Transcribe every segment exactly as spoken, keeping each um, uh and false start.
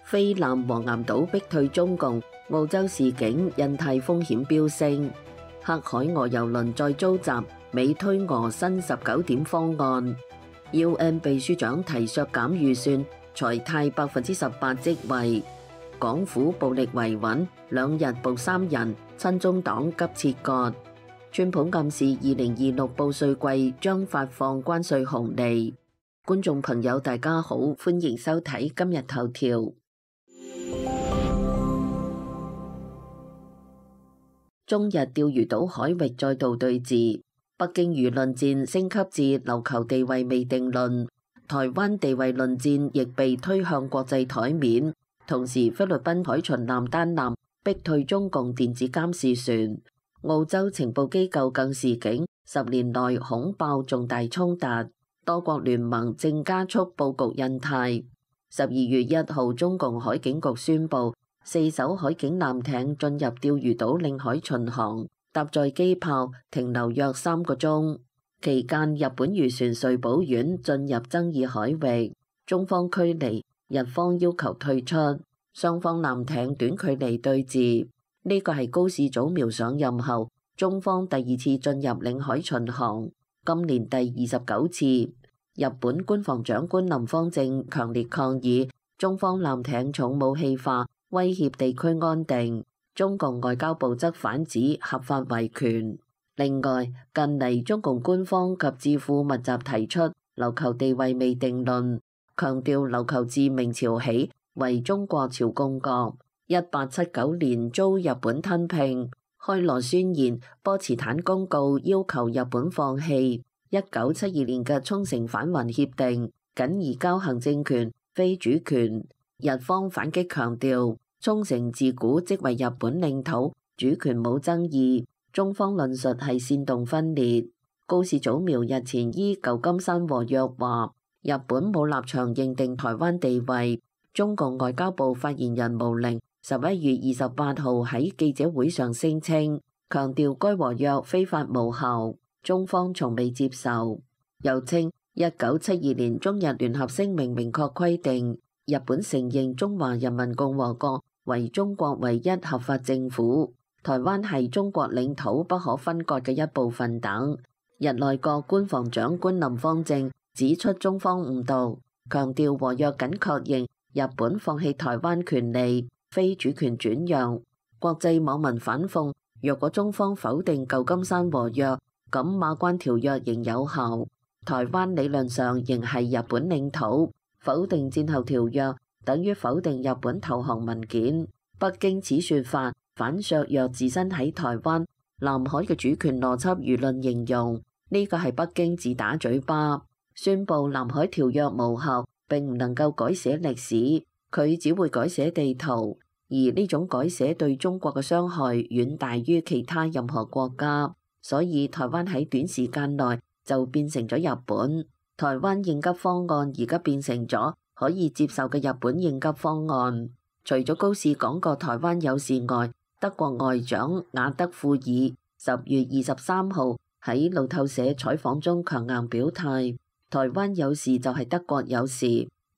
菲南黃岩島逼退中共，澳洲示警印太風險飆升。黑海俄油輪再遭襲，美推俄新十九點方案。U N 秘書長提削減預算，裁汰百分之十八職位。港府暴力維穩，兩日捕三人，親中黨急切割。川普暗示二零二六報稅季將發放關稅紅利。觀眾朋友大家好，歡迎收睇今日頭條。中日釣魚島海域再度對峙，北京輿論戰升級至琉球地位未定論，台灣地位論戰亦被推向國際台面。同時，菲律賓海巡艦單艦逼退中共電子監視船，澳洲情報機構更示警，十年內恐爆重大衝突，多國聯盟正加速佈局印太。十二月一號，中共海警局宣布，四艘海警艦艇進入釣魚島領海巡航，搭載機炮停留約三個鐘。期間，日本漁船穗寶丸進入爭議海域，中方驅離，日方要求退出，雙方艦艇短距離對峙。呢個係高市早苗上任後，中方第二次進入領海巡航，今年第二十九次。日本官房長官林芳正強烈抗議中方艦艇重武器化，威脅地區安定。中共外交部則反指合法維權。另外，近嚟中共官方及智庫密集提出琉球地位未定論，強調琉球自明朝起為中國朝貢國，一八七九年遭日本吞併。開羅宣言、波茨坦公告要求日本放棄。一九七二年嘅沖繩返還協定僅移交行政權，非主權。日方反擊強調，沖繩自古即為日本領土，主權冇爭議。中方論述係煽動分裂。高市早苗日前依舊金山和約話，日本冇立場認定台灣地位。中共外交部發言人毛寧十一月二十八號喺記者會上聲稱，強調該和約非法無效。中方從未接受，又稱一九七二年中日聯合聲明明確規定，日本承認中華人民共和國為中國唯一合法政府，台灣係中國領土不可分割嘅一部分等。日內閣官房長官林芳正指出中方誤導，強調和約僅確認日本放棄台灣權利，非主權轉讓。國際網民反諷，若果中方否定舊金山和約，咁馬關條約仍有效，台灣理論上仍係日本領土。否定戰後條約，等於否定日本投降文件。北京此說法反削弱自身喺台灣、南海嘅主權邏輯。輿論形容呢個係北京自打嘴巴，宣布南海條約無效，並唔能夠改寫歷史，佢只會改寫地圖。而呢種改寫對中國嘅傷害遠大於其他任何國家。所以台灣喺短時間內就變成咗日本。台灣應急方案而家變成咗可以接受嘅日本應急方案。除咗高市講過台灣有事外，德國外長雅德庫爾十月二十三號喺路透社採訪中強硬表態，台灣有事就係德國有事，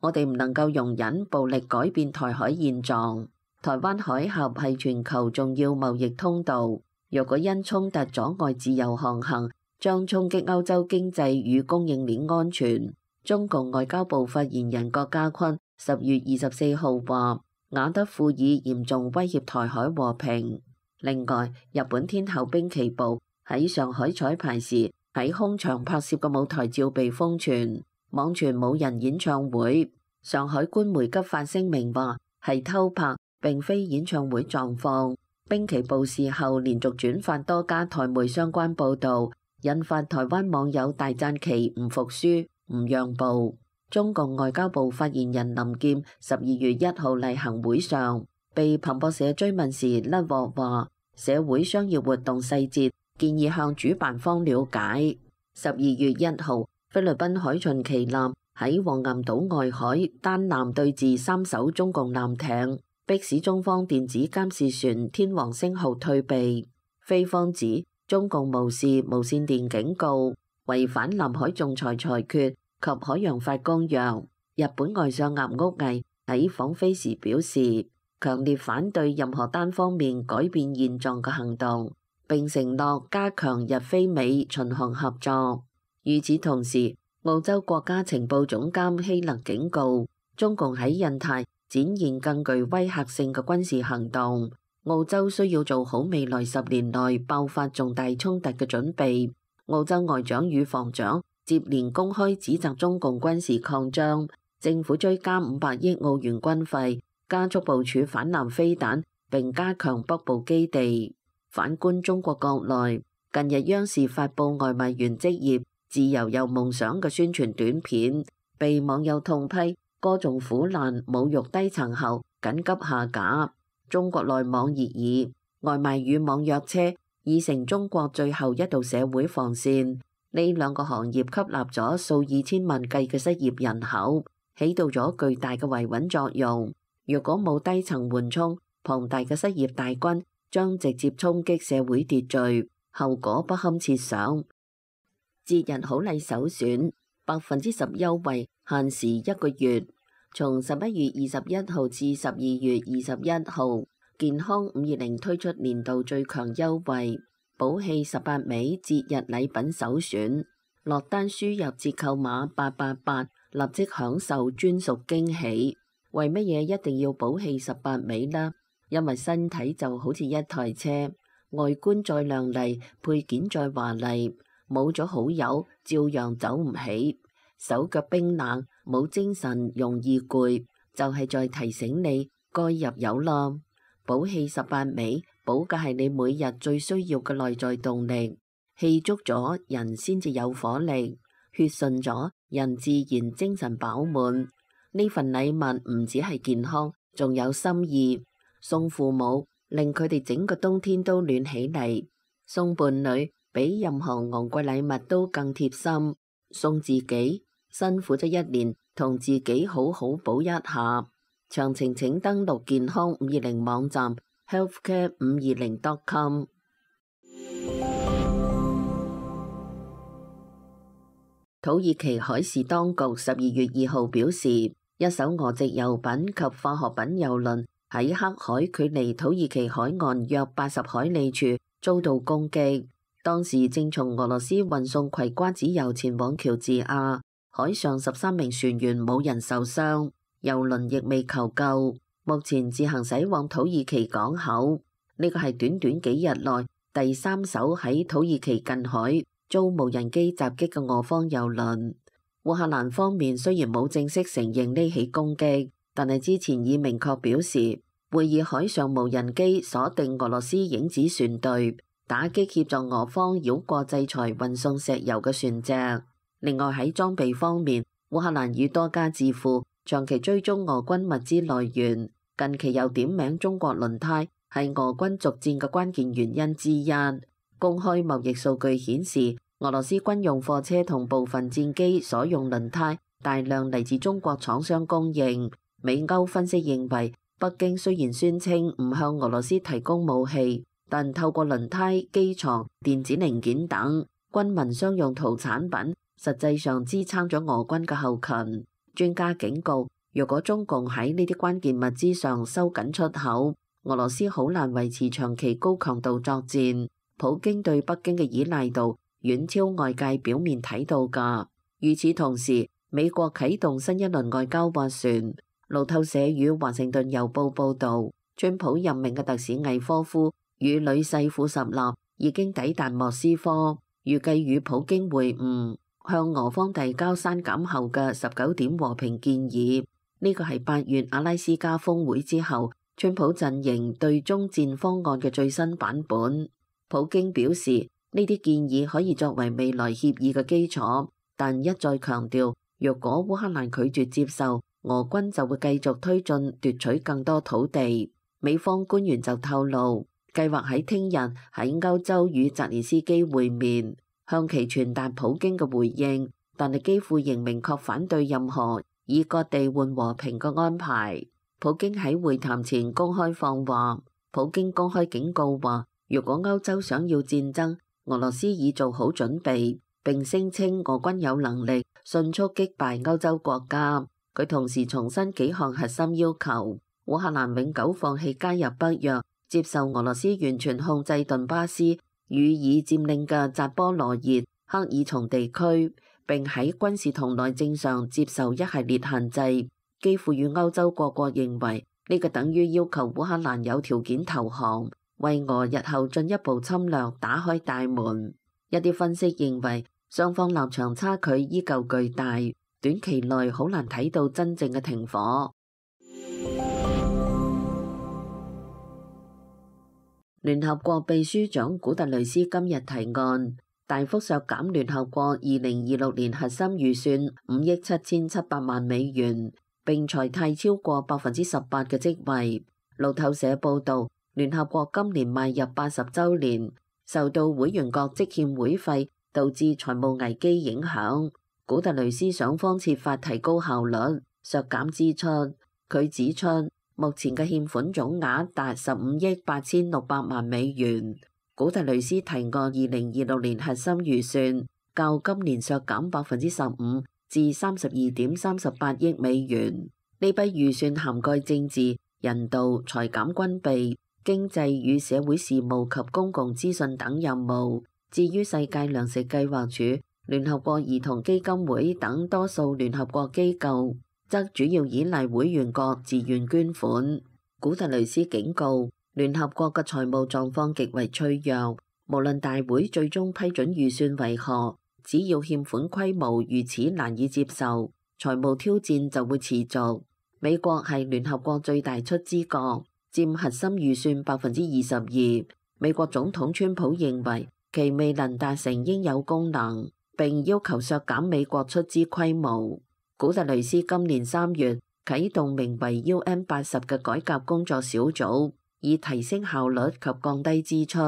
我哋唔能夠容忍暴力改變台海現狀。台灣海峽係全球重要貿易通道。若果因衝突阻礙自由航行，將衝擊歐洲經濟與供應鏈安全。中共外交部發言人郭家坤十月二十四號話，雅德庫爾嚴重威脅台海和平。另外，日本天后濱崎步喺上海彩排時喺空場拍攝嘅舞台照被瘋傳，網傳冇人演唱會。上海官媒急發聲明話係偷拍，並非演唱會狀況。濱崎步事後連續轉發多家台媒相關報導，引發台灣網友大讚其唔服輸、唔讓步。中共外交部發言人林劍十二月一號例行會上被彭博社追問時甩鑊話，社會商業活動細節建議向主辦方了解。十二月一號，菲律賓海巡旗艦喺黃岩島外海單艦對峙三艘中共艦艇，迫使中方電子監視船天王星號退避。菲方指中共無視無線電警告，違反南海仲裁裁決及海洋法公約。日本外相岩屋毅喺訪菲時表示，強烈反對任何單方面改變現狀嘅行動，並承諾加強日菲美巡航合作。與此同時，澳洲國家情報總監希勒警告，中共喺印太展現更具威嚇性嘅軍事行動，澳洲需要做好未來十年內爆發重大衝突嘅準備。澳洲外長與防長接連公開指責中共軍事擴張，政府追加五百億澳元軍費，加速部署反艦飛彈，並加強北部基地。反觀中國國內，近日央視發布外賣員職業自由有夢想嘅宣傳短片，被網友痛批歌頌苦難、侮辱低層後緊急下架。中國內網熱議，外賣與網約車已成中國最後一道社會防線。呢兩個行業吸納咗數以千萬計嘅失業人口，起到咗巨大嘅維穩作用。如果冇低層緩衝，龐大嘅失業大軍將直接衝擊社會秩序，後果不堪設想。節日好禮首選，百分之十優惠，限時一個月。從十一月二十一號至十二月二十一號，健康五二零推出年度最強優惠，寶氣十八味節日禮品首選。落單輸入折扣碼八八八，立即享受專屬驚喜。為乜嘢一定要寶氣十八味呢？因為身體就好似一台車，外觀再亮麗，配件再華麗，冇咗好友照樣走唔起。手腳冰冷，冇精神，容易攰，就係在提醒你該入油啦。寶氣十八味，保嘅係你每日最需要嘅內在動力。氣足咗，人先至有火力；血順咗，人自然精神飽滿。呢份禮物唔止係健康，仲有心意。送父母，令佢哋整個冬天都暖起嚟；送伴侶，比任何昂貴禮物都更貼心。送自己，辛苦咗一年，同自己好好補一下。詳情請登錄健康五二零網站 healthcare 五二零 dot com。土耳其海事當局十二月二號表示，一艘俄籍油品及化學品油輪喺黑海距離土耳其海岸約八十海里處遭到攻擊。當時正從俄羅斯運送葵瓜子油前往喬治亞，海上十三名船員冇人受傷，油輪亦未求救，目前自行駛往土耳其港口。呢個係短短幾日內第三艘喺土耳其近海遭無人機襲擊嘅俄方油輪。烏克蘭方面雖然冇正式承認呢起攻擊，但係之前已明確表示會以海上無人機鎖定俄羅斯影子船隊，打擊協助俄方繞過制裁運送石油嘅船隻。另外喺裝備方面，烏克蘭與多家智庫長期追蹤俄軍物資來源，近期又點名中國輪胎係俄軍續戰嘅關鍵原因之一。公開貿易數據顯示，俄羅斯軍用貨車同部分戰機所用輪胎大量嚟自中國廠商供應。美歐分析認為，北京雖然宣稱唔向俄羅斯提供武器，但透過輪胎、機床、電子零件等軍民商用土產品，實際上支撐咗俄軍嘅後勤。專家警告，如果中共喺呢啲關鍵物資上收緊出口，俄羅斯好難維持長期高強度作戰。普京對北京嘅依賴度遠超外界表面睇到㗎。與此同時，美國啟動新一輪外交斡旋。路透社與華盛頓郵報報導，川普任命嘅特使魏科夫與女婿庫什納已經抵達莫斯科，預計與普京會晤，向俄方遞交刪減後嘅十九點和平建議。呢個係八月阿拉斯加峰會之後，川普陣營對中戰方案嘅最新版本。普京表示，呢啲建議可以作為未來協議嘅基礎，但一再強調，若果烏克蘭拒絕接受，俄軍就會繼續推進奪取更多土地。美方官員就透露，計劃喺聽日喺歐洲與澤連斯基會面，向其傳達普京嘅回應，但係幾乎仍明確反對任何以割地換和平嘅安排。普京喺會談前公開放話，普京公開警告話，如果歐洲想要戰爭，俄羅斯已做好準備，並聲稱俄軍有能力迅速擊敗歐洲國家。佢同時重申幾項核心要求：烏克蘭永久放棄加入北約，接受俄羅斯完全控制頓巴斯與已佔領嘅扎波羅熱、克爾松地區，並喺軍事同內政上接受一系列限制。基輔與歐洲各國認為呢個等於要求烏克蘭有條件投降，為俄日後進一步侵略打開大門。一啲分析認為，雙方立場差距依舊巨大，短期內好難睇到真正嘅停火。聯合國秘書長古特雷斯今日提案，大幅削減聯合國二零二六年核心預算五億七千七百萬美元，並裁汰超過百分之十八嘅職位。路透社報導，聯合國今年邁入八十週年，受到會員國積欠會費導致財務危機影響。古特雷斯想方設法提高效率，削減支出。佢指出，目前嘅欠款總額達十五億八千六百萬美元。古特雷斯提案二零二六年核心預算較今年削減百分之十五至三十二點三十八億美元。呢筆預算涵蓋政治、人道、裁減軍備、經濟與社會事務及公共資訊等任務。至於世界糧食計劃署、聯合國兒童基金會等多數聯合國機構，則主要依賴會員國自願捐款。古特雷斯警告，聯合國嘅財務狀況極為脆弱，無論大會最終批准預算為何，只要欠款規模如此難以接受，財務挑戰就會持續。美國係聯合國最大出資國，佔核心預算百分之二十二。美國總統川普認為其未能達成應有功能，並要求削減美國出資規模。古特雷斯今年三月啟動名為 U N 八十嘅改革工作小組，以提升效率及降低支出。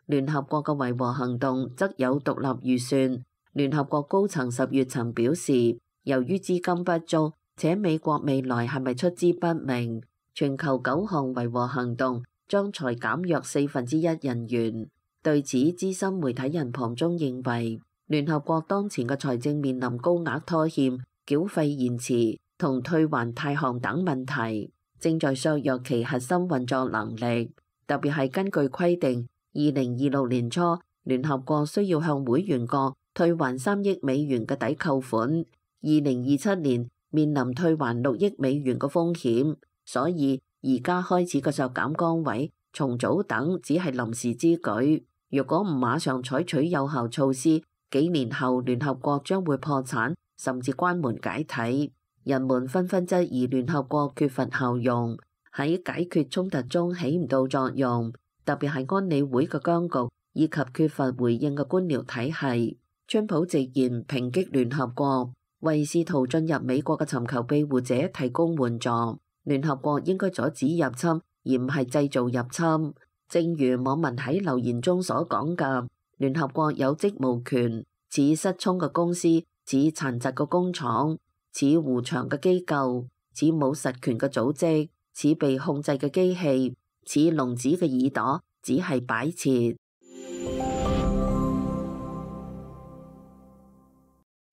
聯合國嘅維和行動則有獨立預算。聯合國高層十月曾表示，由於資金不足，且美國未來係咪出資不明，全球九項維和行動將裁減約四分之一人員。對此，資深媒體人龐中認為，聯合國當前嘅財政面臨高額拖欠、繳費延遲同退還貸項等問題，正在削弱其核心運作能力。特別係根據規定，二零二六年初，聯合國需要向會員國退還三億美元嘅抵扣款，二零二七年面臨退還六億美元嘅風險，所以而家開始嘅削減崗位、重組等只係臨時之舉。如果唔馬上採取有效措施，幾年後聯合國將會破產，甚至關門解體。人們紛紛質疑聯合國缺乏效用，喺解決衝突中起唔到作用，特別係安理會嘅僵局以及缺乏回應嘅官僚體系。川普直言抨擊聯合國，為試圖進入美國嘅尋求庇護者提供援助。聯合國應該阻止入侵，而唔係製造入侵。正如網民喺留言中所講嘅，聯合國有職務權，似失聰嘅公司，似殘疾嘅工廠，似糊牆嘅機構，似冇實權嘅組織，似被控制嘅機器，似聾子嘅耳朵，只係擺設。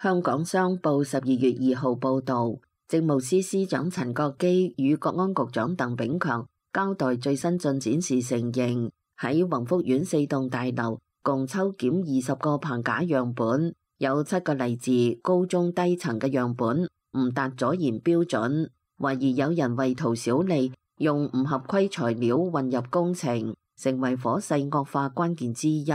香港商報十二月二號報導，政務司司長陳國基與國安局長鄧炳強交代最新進展時承認，喺宏福苑四棟大樓共抽檢二十個棚架樣本，有七個嚟自高中低層嘅樣本唔達阻燃標準，懷疑有人為圖小利，用唔合規材料混入工程，成為火勢惡化關鍵之一。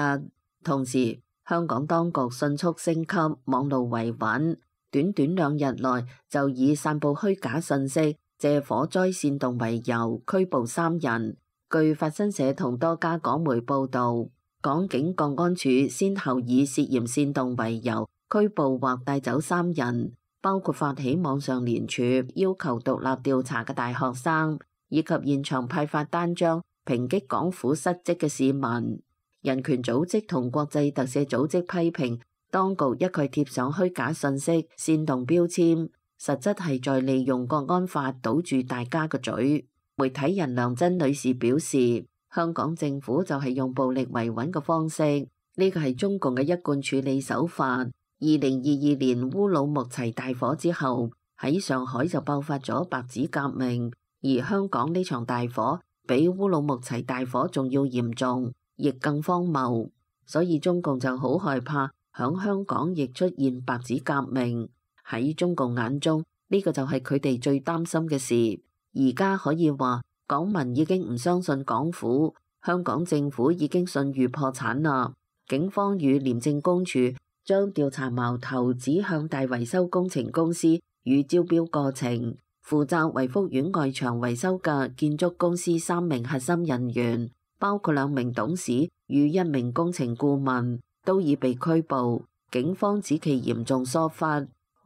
同時，香港當局迅速升級網路維穩，短短兩日內就以散佈虛假信息、借火災煽動為由拘捕三人。據法新社同多家港媒報導，港警國安處先後以涉嫌煽動為由拘捕或帶走三人，包括發起網上聯署要求獨立調查嘅大學生，以及現場派發單張抨擊港府失職嘅市民。人權組織同國際特赦組織批評當局一概貼上虛假信息、煽動標籤，實質係在利用國安法堵住大家嘅嘴。媒體人梁真女士表示，香港政府就係用暴力維穩嘅方式，呢個係中共嘅一貫處理手法。二零二二年烏魯木齊大火之後，喺上海就爆發咗白紙革命，而香港呢場大火比烏魯木齊大火仲要嚴重，亦更荒謬，所以中共就好害怕響香港亦出現白紙革命。喺中共眼中，呢個就係佢哋最擔心嘅事。而家可以話，港民已經唔相信港府，香港政府已經信譽破產啦。警方與廉政公署將調查矛頭指向大維修工程公司與招標過程，負責惠福苑外牆維修嘅建築公司三名核心人員，包括兩名董事與一名工程顧問，都已被拘捕。警方指其嚴重疏忽。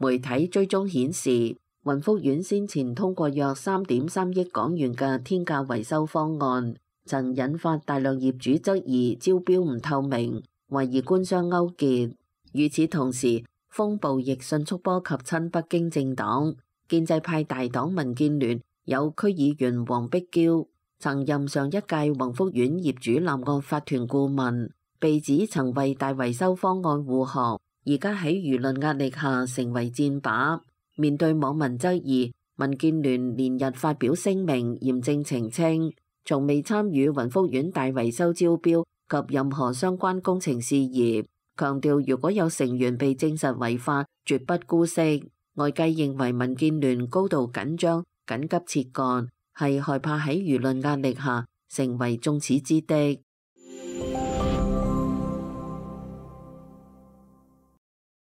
媒體追蹤顯示，雲福苑先前通過約三點三億港元嘅天價維修方案，曾引發大量業主質疑招標唔透明，懷疑官商勾結。與此同時，風暴亦迅速波及親北京政黨，建制派大黨民建聯有區議員黃碧嬌曾任上一屆雲福苑業主立案法團顧問，被指曾為大維修方案護航。而家喺輿論壓力下成為箭靶，面對網民質疑，民建聯連日發表聲明嚴正澄清，從未參與雲福苑大維修招標及任何相關工程事宜，強調如果有成員被證實違法，絕不姑息。外界認為民建聯高度緊張，緊急撤幹，係害怕喺輿論壓力下成為眾矢之的。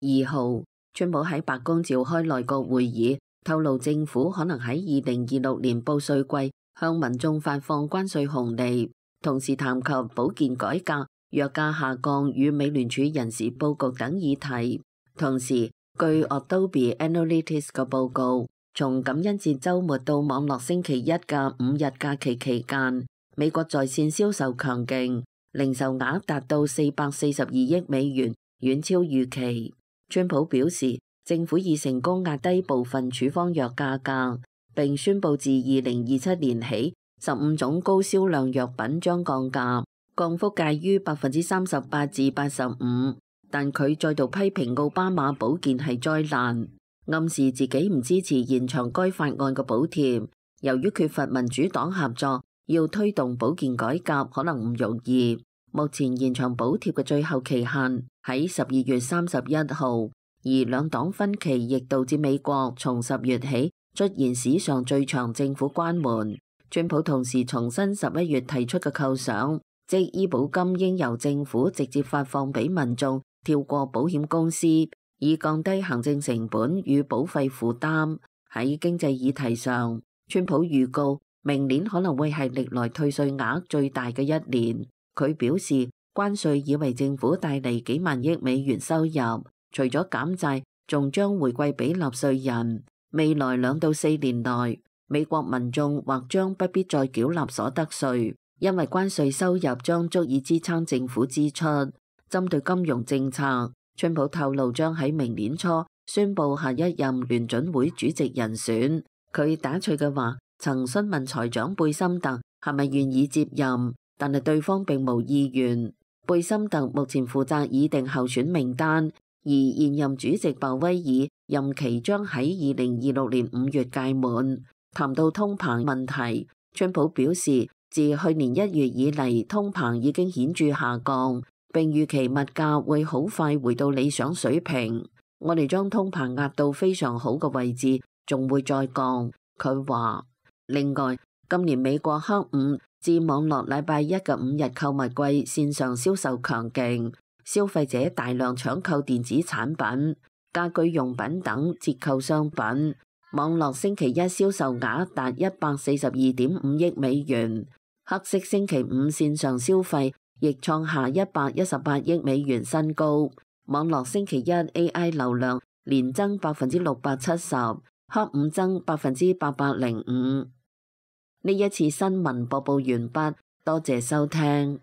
二號，川普喺白宮召開內閣會議，透露政府可能喺二零二六年報稅季向民眾發放關稅紅利，同時談及保健改革、藥價下降與美聯儲人事佈局等議題。同時，據 Adobe Analytics 嘅報告，從感恩節週末到網絡星期一嘅五日假期期間，美國在線銷售強勁，零售額達到四百四十二億美元，遠超預期。川普表示，政府已成功壓低部分處方藥價格，並宣布自二零二七年起，十五種高銷量藥品將降價，降幅介於百分之三十八至八十五。但佢再度批評奧巴馬保健係災難，暗示自己唔支持延長該法案嘅補貼。由於缺乏民主黨合作，要推動保健改革可能唔容易。目前延長補貼嘅最後期限喺十二月三十一號，而兩黨分歧亦導致美國從十月起出現史上最長政府關門。川普同時重申十一月提出嘅構想，即醫保金應由政府直接發放俾民眾，跳過保險公司，以降低行政成本與保費負擔。喺經濟議題上，川普預告明年可能會係歷來退稅額最大嘅一年。佢表示，關稅已為政府帶嚟幾萬億美元收入，除咗減債，仲將回饋俾納稅人。未來兩到四年內，美國民眾或將不必再繳納所得稅，因為關稅收入將足以支撐政府支出。針對金融政策，川普透露將喺明年初宣布下一任聯準會主席人選。佢打趣嘅話，曾詢問財長貝森特係咪願意接任，但係對方並無意願。貝森特目前負責擬定候選名單，而現任主席鮑威爾任期將喺二零二六年五月屆滿。談到通膨問題，川普表示，自去年一月以嚟，通膨已經顯著下降，並預期物價會好快回到理想水平。我哋將通膨壓到非常好嘅位置，仲會再降。佢話，另外，今年美國黑五至網絡禮拜一嘅五日購物季線上銷售強勁，消費者大量搶購電子產品、家居用品等折扣商品。網絡星期一銷售額達一百四十二點五億美元，黑色星期五線上消費亦創下一百一十八億美元新高。網絡星期一 A I 流量連增百分之六百七十，黑五增百分之八百零五。呢一次新聞播報完畢，多謝收聽。